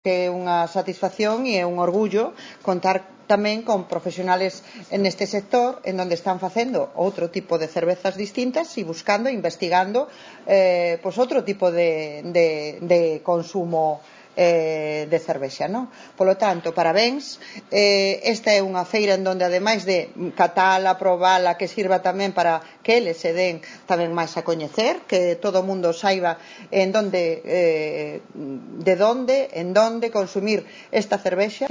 que é unha satisfacción e é un orgullo contar tamén con profesionales neste sector en onde están facendo outro tipo de cervezas distintas e buscando e investigando outro tipo de consumo de cervexa, non? Polo tanto, parabéns. Esta é unha feira en donde, ademais de catala, probala, que sirva tamén para que eles se den tamén máis a coñecer, que todo o mundo saiba en donde consumir esta cervexa.